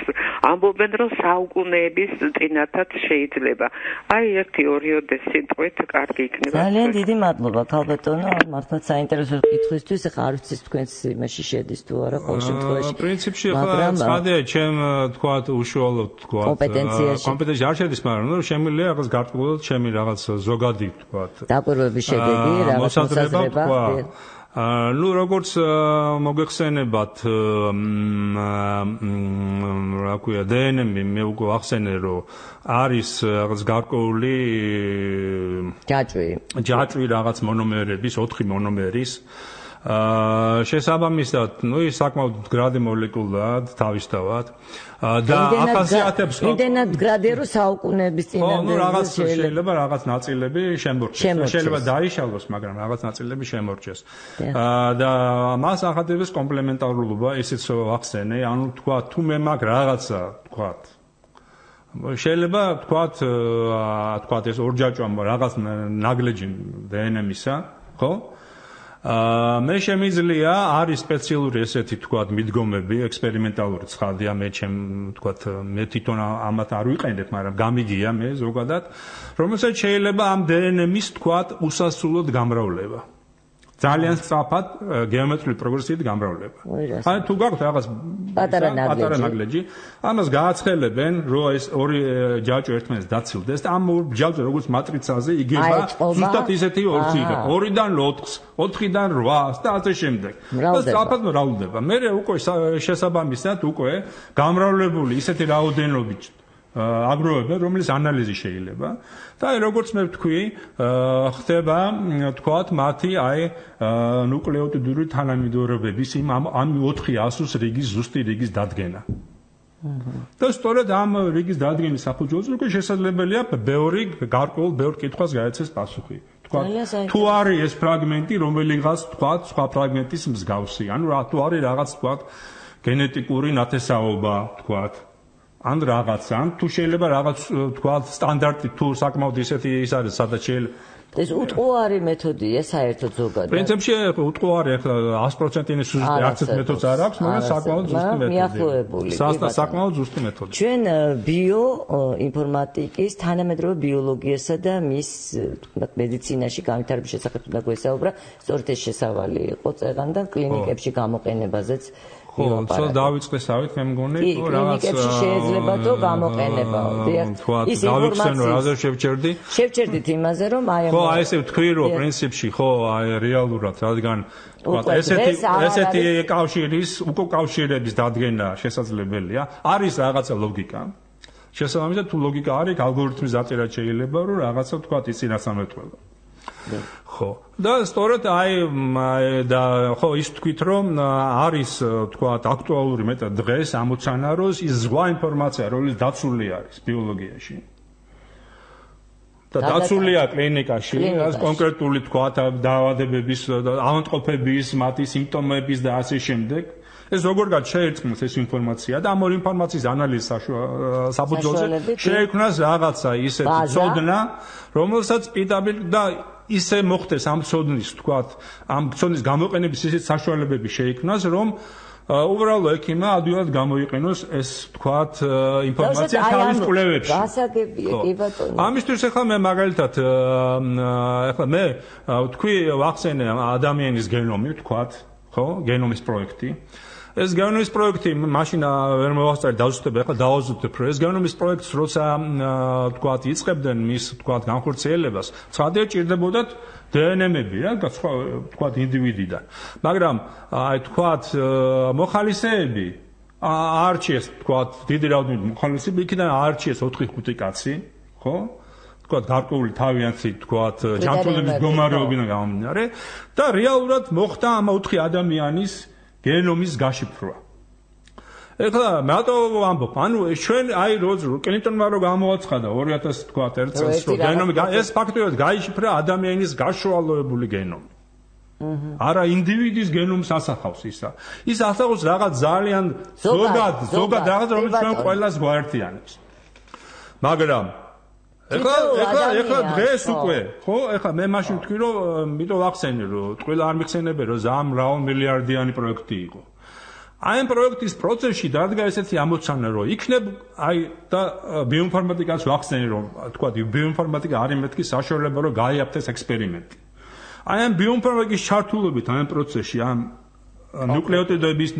ამბობენ რომ საუკუნეების წინათაც შეიძლება აი 1-2 სიტყვით კარგი იქნება
ძალიან დიდი მადლობა ქალბატონო მართლაც საინტერესო კითხვისთვის ახლა არ ვიცი თქვენს იმაში შედის თუ არა ყოველ შემთხვევაში
პრინციპში ახლა ცხადია ჩემ თქვა უშუალოდ თქვა კომპეტენციაში არ შედის მაგრამ ნუ შემიძლია რაღაც გარკვეულად ჩემი რაღაც ზოგადი თქვა
დაკვირვების შედეგი რაღაც მოსაზრება
ნუ როგორც მოგეხსენებათ რა ქვია დნმ-ი მე უკვე ახსენე რომ არის რაღაც გარკვეული ჯაჭვი რაღაც მონომერების 4 მონომერის შესაბამისად ნუ ის საკმაოდ მდგრადი მოლეკულაა თავისთავად და ახასიათებს
იმდენად მდგრადია რომ საუკუნეების წინამდე
ნუ რაღაც შეიძლება რაღაც ნაწილები შემორჩეს შეიძლება დაიშალოს მაგრამ რაღაც ნაწილები შემორჩეს და მას ახადებს კომპლემენტარულობა ისიც ახსენე ანუ თქვა თუ მე მაგ რაღაცა თქვა შეიძლება თქვა ეს ორჯაჭვა რაღაც ნაგლეჯი დნმ-ისა ხო მე შემიძლია არის სპეციალური ესეთი თქვა მიდგომები ექსპერიმენტალური ცხადია მე მე თვითონ ამათ არ ვიყენებ მაგრამ გამიგია მე ზოგადად რომელსაც შეიძლება ამ დნმ-ის თქვა უსასრულოდ გამრავლება ძალიან სწრაფად გეომეტრიული პროგრესიით გამრავლება. აი თუ გაქვთ რაღაც
პატარა
ნაგლეჯი, ამას გააცხელებენ, რომ ეს ორი ჯაჭვი ერთმანეთს დაცილდეს და ამ ორ ჯაჭვზე როგორც მატრიცაზე იგება ზუსტად ისეთი ორცი იგება. 2-დან 4-ს, 4-დან 8-ს და ასე შემდეგ. და სწრაფად მრავლდება. მე უკვე შესაბამისად უკვე გამრავლებული ისეთი რაოდენობით აგროვებენ, რომელიც ანალიზი შეიძლება და აი როგორც მე ვთქვი, ხდება თქვათ მათი აი ნუკლეოტიდური თანამედროვეობის ამ 400-ს რიგის ზუსტი რიგის დადგენა. და სწორედ ამ რიგის დადგენის საფუძველზე უკვე შესაძლებელია გარკვეულ ბევრ კითხვას გაეცეს პასუხი. თქვათ თუ არის ეს ფრაგმენტი რომელიღაც თქვათ სხვა ფრაგმენტის მსგავსი, ანუ თუ არის რაღაც თქვათ გენეტიკური ნათესაობა თქვათ ან რაღაცა, თუ შეიძლება რაღაც თქვა სტანდარტი თუ საკმაოდ ისეთი ის არის, სადაც შეიძლება
ეს უტყუარი მეთოდია საერთოდ ზოგადად.
პრინციპში უტყუარი ახლა 100%-იანი სუჟეტი არც ერთ მეთოდს არ აქვს, მაგრამ საკმაოდ ზუსტი მეთოდია.
მიახლოებული.
საკმაოდ ზუსტი მეთოდია.
ჩვენ ბიოინფორმატიკის თანამედროვე ბიოლოგიასა და მის მედიცინაში განვითარების შესახებ უნდა გვესაუბრა, სწორედ ეს შესავალი იყო წეგან და კლინიკებში გამოყენებაზეც
ხო, ცოტა დავიწყესავით, მე მგონი,
თუ რაღაც კლინიკებში შეიძლება თუ გამოყენებაო.
ის ინფორმაცია რაზე შევჩერდით
იმაზე, რომ აი
ხო, აი ესე ვთქვი, რომ პრინციპში ხო, აი რეალურად, რადგან ესეთი უკავშირების დადგენა შესაძლებელია. არის რაღაცა ლოგიკა. შესაბამისად, თუ ლოგიკა არის, ალგორითმის დაწერა შეიძლება, რომ რაღაცა თქვა ის წინასწარმეტყველო. ხო და სწორედ აი და ხო ის თქვით რომ არის თქვა აქტუალური მეტად დღეს ამოცანა რომ ის ზღვა ინფორმაცია რომელიც დაცული არის ბიოლოგიაში და დაცულია კლინიკაში ეს კონკრეტული თქვა დაავადებების ავადმყოფების მათი სიმპტომების და ასე შემდეგ ეს როგორღაც შეერწყმოს ეს ინფორმაცია და ამ ორ ინფორმაციის ანალიზის საფუძველზე შეექმნას რაღაცა ისეთი ცოდნა რომელსაც პირდაპირ და ისე მოხდეს ამ ცოდნის თქვათ ამ ცოდნის გამოყენების ისეთ საშუალებები შეიქმნას რომ უბრალო ექიმმა ადვილად გამოიყენოს ეს თქვათ ინფორმაცია თავის კვლევებში.
გასაგებია კი ბატონო.
ამისთვის ახლა მე მაგალითად ახლა მე თქვი ვახსენე ადამიანის გენომი თქვათ ხო გენომის პროექტი ეს გენომის პროექტი მაშინ ვერ მოვასწრე დავზუსტებ ახლა დავაზუსტებ რომ ეს გენომის პროექტს როცა თქვათ იწყებდნენ მის თქვათ განხორციელებას ცხადია ჭირდებოდათ დნმ-ები რა თქვათ ინდივიდიდან მაგრამ აი თქვათ მოხალისეები არჩიეს თქვათ დიდი რაოდენობით მოხალისეები იქიდან არჩიეს 4-5 კაცი ხო თქვათ გარკვეული თავიანთი თქვათ ჯანმრთელობის მდგომარეობიდან გამომდინარე და რეალურად მოხდა ამ 4 ადამიანის გენომის გაშიფრვა. ეხლა მარტო ვამბობ, ანუ ჩვენ აი კლინტონმა რო გამოაცხადა 2001 წელს რომ გენომი ეს ფაქტობრივად გაიშიფრა ადამიანის გაშუალოებული გენომი. არა ინდივიდის გენომს ასახავს ისა. ის ასახავს რაღაც ძალიან ზოგად რაღაც რომელიც ჩვენ ყველას გვაერთიანებს. მაგრამ ეხლა დღეს უკვე, ხო, ეხლა მე მაშინ ვთქვი რომ მითო ვახსენე რომ ყველა არ მიხსენებენ რომ ზამ რაულ მილიარდიანი პროექტი იყო. აი ამ პროექტის პროცესში დადგა ესეთი ამოცანა რომ იქნებ აი და ბიოინფორმატიკას ვახსენე რომ თქვა ბიოინფორმატიკა არის მეთქი საშუალება რომ გაიაფთეს ექსპერიმენტი. აი ამ ბიოინფორმატიკის ჩართულობით ამ პროცესში ამ ნუკლეოტიდების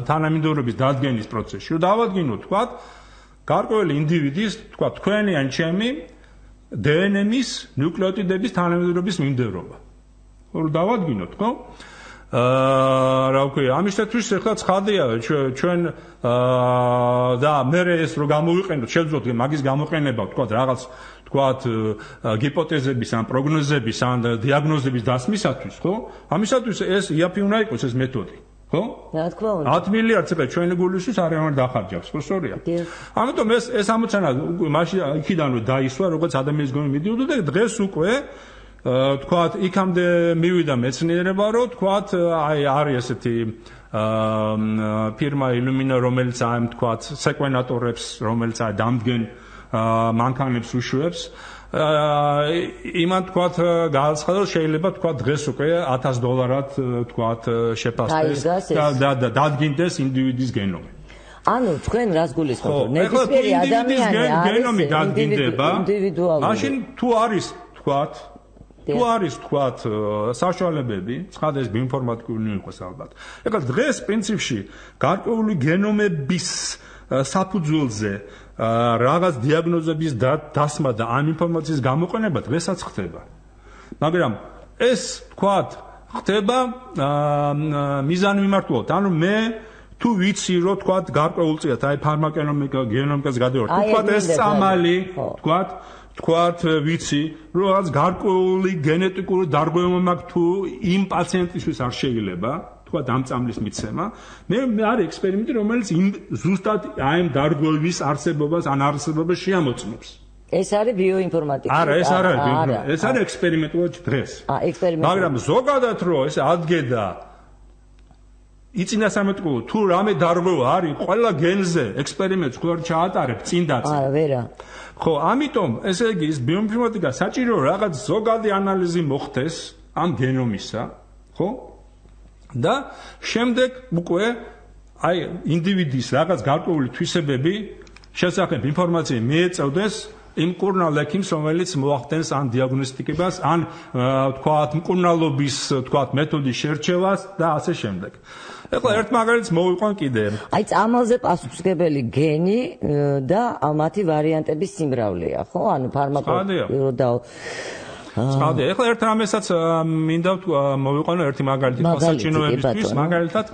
თანამიმდევრობის დადგენის პროცესში რომ დავადგინოთ თქვა გარკვეული ინდივიდის თქვა თქვენი ან ჩემი დნმ-ის ნუკლეოტიდების თანამიმდევრობის მიმდევრობა. რომ დავადგინოთ, ხო? რა ვქვია, ამისათვის ახლა ცხადია ჩვენ და მე ეს რომ გამოვიყენოთ, შევძლოთ მაგის გამოყენება, თქვა რაღაც გიპოთეზების ან პროგნოზების ან დიაგნოზების დასმისათვის, ხო? ამისათვის ეს იაფი უნდა იყოს ეს მეთოდი. ხო?
რა თქმა უნდა.
10 მილიარდ წელი ჩვენი გულისთვის არამედ დახარჯავს, ხო სწორია? ამიტომ ეს ამოცანა მაშინ იქიდან რომ დაისვა, როგორც ადამიანის გონი მიდიოდა და დღეს უკვე თქვათ იქამდე მივიდა მეცნიერება რომ თქვათ აი არის ესეთი ფირმა Illumina რომელიც აი თქვათ სეკვენატორებს რომელიც აი დამდგენ მანქანებს უშვებს იმან თქვათ გააცხადა რომ შეიძლება თქვათ დღეს უკვე $1000 თქვათ შეფასდეს და დადგინდეს ინდივიდის გენომი.
ანუ თქვენ რას გულისხმობთ? ნებისმიერი ადამიანი
გენომი დადგინდება. მაშინ თუ არის თქვათ საშუალებები, ცხადდეს ბიოინფორმატიკული იყოს ალბათ. ეხლა დღეს პრინციპში გარკვეული გენომების საფუძველზე რაღაც დიაგნოზების დასმა და ამ ინფორმაციის გამოყენება დღესაც ხდება. მაგრამ ეს თქვათ ხდება მიზანმიმართულად. ანუ მე თუ ვიცი რომ თქვათ გარკვეულ წიათ აი ფარმაკონომიკა გენომიკას გადავარ. თუ თქვათ ეს წამალი თქვათ ვიცი რომ რაღაც გარკვეული გენეტიკური დარღვევა მაქვს თუ იმ პაციენტისთვის არ შეიძლება თქვათ ამ წამლის მიცემა მე არის ექსპერიმენტი რომელიც ზუსტად აი ამ დარღვევის არსებობას ან არსებობას შეამოწმებს.
ეს არის ბიოინფორმატიკა.
არა, ეს არ არის ბიოინფორმატიკა. ეს არის ექსპერიმენტულად დღეს. მაგრამ ზოგადად რომ ეს ადგედა იწინასამეტყველო თუ რამე დარღვევა არის ყველა გენზე ექსპერიმენტს ხوار ჩაატარებ წინ დაწინ.
არა, ვერა.
ხო, ამიტომ ესე იგი ის ბიოინფორმატიკა საჭირო რაღაც ზოგადი ანალიზი მოხდეს ამ გენომისა, ხო? და შემდეგ უკვე აი ინდივიდის რაღაც გარკვეული თვისებები შესახებ ინფორმაცია მიეწევდეს იმ მკურნალ ექიმს, რომელიც მოახდენს ან დიაგნოსტიკებას, ან თქვათ მკურნალობის თქვათ მეთოდის შერჩევას და ასე შემდეგ. ეხლა ერთ მაგალითს მოვიყვან კიდე.
აი წამალზე პასუხისმგებელი გენი და მათი ვარიანტების სიმრავლეა, ხო? ანუ ფარმაკოლოგიური და
ცხადია. ეხლა ერთ რამესაც მინდა მოვიყვანო ერთი მაგალითი სასაჩინოებისთვის, მაგალითად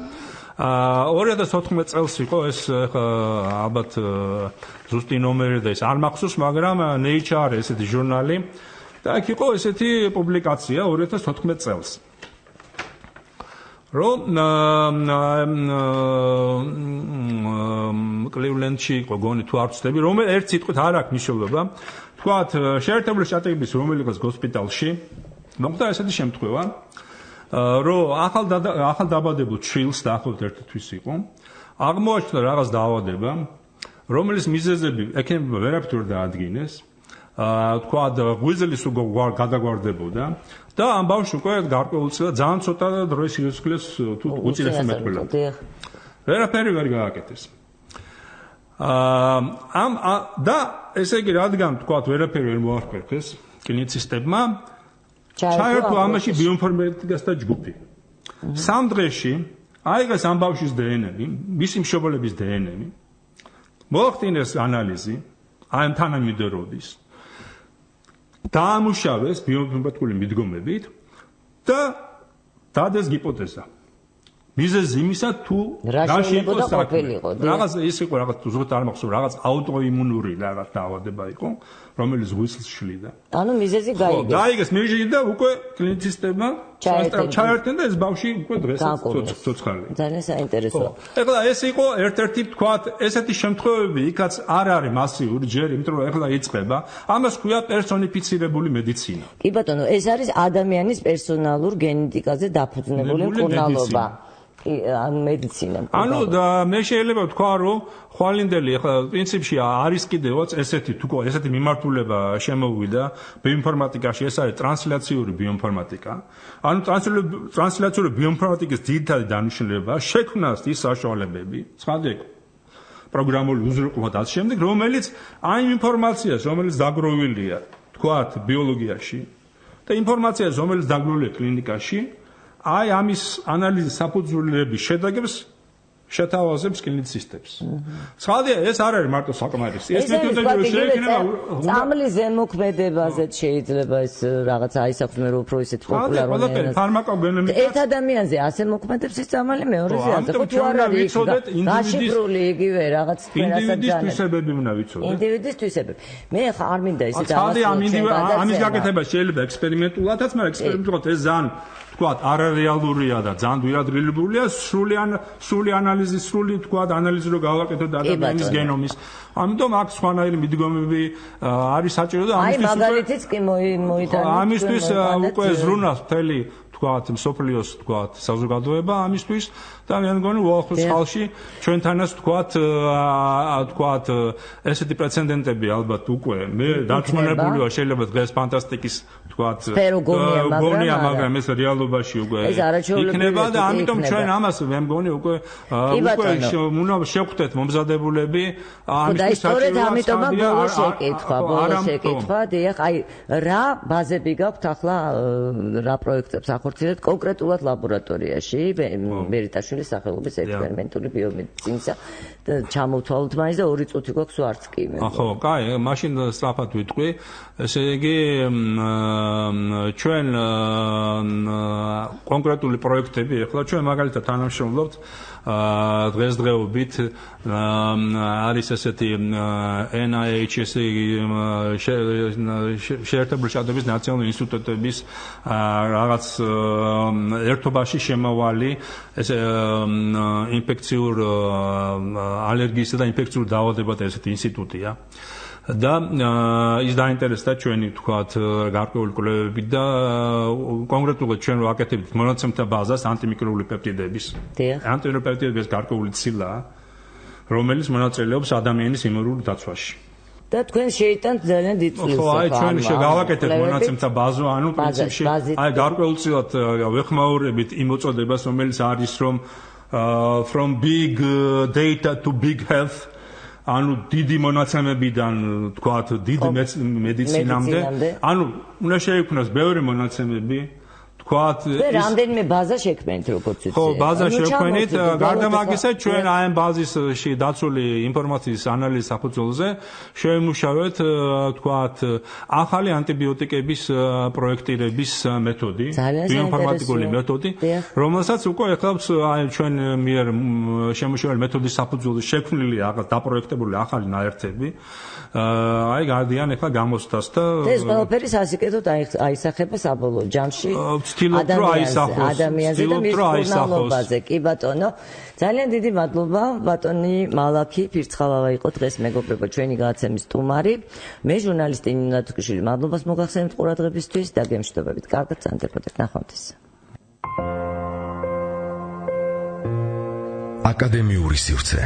2014 წელს იყო ეს ალბათ ზუსტი ნომერი და ეს არ მახსოვს, მაგრამ Nature ესეთი ჟურნალი და აქ იყო ესეთი პუბლიკაცია 2014 წელს. რომ კლივლენდში იყო გონი თუ არ ვცდები, რომ ერთ სიტყვით არ აქვს მნიშვნელობა. თქვათ შეერთებული შტატების რომელიღაც ჰოსპიტალში მოხდა ესეთი შემთხვევა, რომ ახალ დაბადებულ ჩილს დაახლოებით ერთი თვის იყო. აღმოაჩნდა რაღაც დაავადება, რომელიც მიზეზები ექიმებმა ვერაფერ დაადგინეს. თქვათ ღვიძლის გადაგვარდებოდა და ამ ბავშვს უკვე გარკვეულწილად ძალიან ცოტა დროის სიცოცხლეს თუ უწინასწარ მეტყველებდა. ვერაფერი ვერ გააკეთეს. და ესე იგი რადგან თქვათ ვერაფერი ვერ მოახერხეს კლინიცისტებმა ჩაერთო ამაში ბიოინფორმატიკას და ჯგუფი. 3 დღეში აიღეს ამ ბავშვის დნმ, მისი მშობლების დნმ, მოახდინეს ანალიზი ამ თანამიმდევრობის, დაამუშავეს ბიოინფორმატიკული მიდგომებით და დადეს ჰიპოთეზა. მიზეზი იმისა თუ
რაში იყო და ყოფილიყო.
რაღაც ის იყო რაღაც ზუსტად არ მახსოვს, რაღაც აუტოიმუნური რაღაც დაავადება იყო, რომელიც ღვიძლს შლიდა.
ანუ მიზეზი გაიგეს.
გაიგეს მიზეზი და უკვე კლინიცისტებმა ჩაერთენ და ეს ბავშვი უკვე დღესაც ცოცხალი.
ძალიან საინტერესოა.
ეხლა ეს იყო ერთ-ერთი თქვათ, ესეთი შემთხვევები იქაც არ არის მასიური ჯერ, იმიტომ რომ ეხლა იწყება. ამას ქვია პერსონიფიცირებული მედიცინა.
კი ბატონო, ეს არის ადამიანის პერსონალურ გენეტიკაზე დაფუძნებული მკურნალობა. ანუ მედიცინა.
ანუ მე შეიძლება ვთქვა, რომ ხვალინდელი ახლა პრინციპში არის კიდევაც ესეთი მიმართულება შემოვიდა ბიოინფორმატიკაში, ეს არის ტრანსლაციური ბიოინფორმატიკა. ანუ ტრანსლაციური ბიოინფორმატიკის ძირითადი დანიშნულება შექმნას ის საშუალებები, ცხადია პროგრამული უზრუნველყოფა და ამ შემდეგ, რომელიც აი ინფორმაციას, რომელიც დაგროვილია, თქვათ, ბიოლოგიაში და ინფორმაციას, რომელიც დაგროვილია კლინიკაში, აი ამის ანალიზის საფუძვლების შედეგებს შეთავაზებს კლინიცისტებს. ცხადია, ეს არ არის მარტო საკმარისი. ეს მეთოდები შეექმნება
წამლის ზემოქმედებაზე შეიძლება ეს რაღაც აისახმე რომ უფრო ისეთ პოპულარულია.
ფარმაკოგენები
ერთ ადამიანზე ასე მოქმედებს ეს წამალი მეორეზე ასე ხო თუ არ არის გაშიფრული იგივე რაღაც
ინდივიდის თვისებები უნდა ვიცოდეთ.
ინდივიდის თვისებები. მე ხა არ მინდა ისეთ
ამის გაკეთება შეიძლება ექსპერიმენტულადაც, მაგრამ ექსპერიმენტულად ეს ძალიან თქვათ არარეალურია და ძალიან გვიადრილებულია სრული ანალიზი, თქვათ ანალიზი რო გავაკეთოთ ადამიანის გენომის. ამიტომ აქ სხვანაირი მიდგომები არის საჭირო და
მაგალითიც კი მოიტანეთ.
ამისთვის უკვე ზრუნავს მთელი თქვათ მსოფლიოს თქვათ საზოგადოება ამისთვის და მე მგონი უახლოს ხალხში ჩვენთანაც თქვათ ესეთი პრეცედენტები ალბათ უკვე მე დარწმუნებული ვარ შეიძლება დღეს ფანტასტიკის თქვათ გონია მაგრამ ეს რეალობაში უკვე იქნება და ამიტომ ჩვენ ამას მე მგონი უკვე უნდა შევხვდეთ მომზადებულები
ამისთვის საჭიროა ამიტომ ბოლოს შეკითხვა დიახ აი რა ბაზები გაქვთ ახლა რა პროექტებს ახორციელებთ კონკრეტულად ლაბორატორიაში მერიტაშვილის სახელობის ექსპერიმენტული ბიომედიცინისა ჩამოვთვალოთ მაინც და 2 წუთი გვაქვს ვარც კი მე.
ხო, კაი, მაშინ სწრაფად ვიტყვი. ესე იგი ჩვენ კონკრეტული პროექტები ახლა ჩვენ მაგალითად თანამშრომლობთ დღესდღეობით არის ესეთი NIH შეერთებული შტატების ნაციონალური ინსტიტუტების რაღაც ერთობაში შემავალი ეს ინფექციურ ალერგიისა და ინფექციურ დაავადებათა ესეთი ინსტიტუტია. და ის დაინტერესდა ჩვენი თქვათ გარკვეული კვლევები და კონკრეტულად ჩვენ ვაკეთებთ მონაცემთა ბაზას ანტიმიკრობული პეპტიდების. ანტიმიკრობული პეპტიდების გარკვეული ცილა, რომელიც მონაწილეობს ადამიანის იმუნურ დაცვაში.
და თქვენ შეიტანთ ძალიან დიდ წვლილს.
ხო, აი ჩვენ შეგავაკეთეთ მონაცემთა ბაზო, ანუ პრინციპში აი გარკვეულწილად ვეხმაურებით იმ მოწოდებას, რომელიც არის from big data to big health. ანუ დიდი მონაცემებიდან თქვათ დიდ მედიცინამდე ანუ უნდა შეიქმნას ბევრი მონაცემები თქვათ
რამდენიმე ბაზა შექმნით როგორც იცი
ხო ბაზა შექმნით გარდა მაგისა ჩვენ აი ამ ბაზისში დაცული ინფორმაციის ანალიზის საფუძველზე შევიმუშავეთ თქვათ ახალი ანტიბიოტიკების პროექტირების მეთოდი ბიოინფორმატიკული მეთოდი რომელსაც უკვე ახლავს აი ჩვენ მიერ შემუშავებული მეთოდის საფუძველზე შექმნილი დაპროექტებული ახალი ნაერთები აი გადიან ახლა გამოცდას და
ეს ყველაფერი სასიკეთოდ აისახება საბოლოო ჯამში ადამიანზე და მის მკურნალობაზე. კი ბატონო, ძალიან დიდი მადლობა ბატონი მალაქი ფირცხალავა იყო დღეს მეგობრებო ჩვენი გადაცემის სტუმარი. მე ჟურნალისტი ნინო დათუკიშვილი მადლობას მოგახსენებთ ყურადღებისთვის და გემშვიდობებით. კარგად სანდებოდეთ ნახვამდის.
აკადემიური სივრცე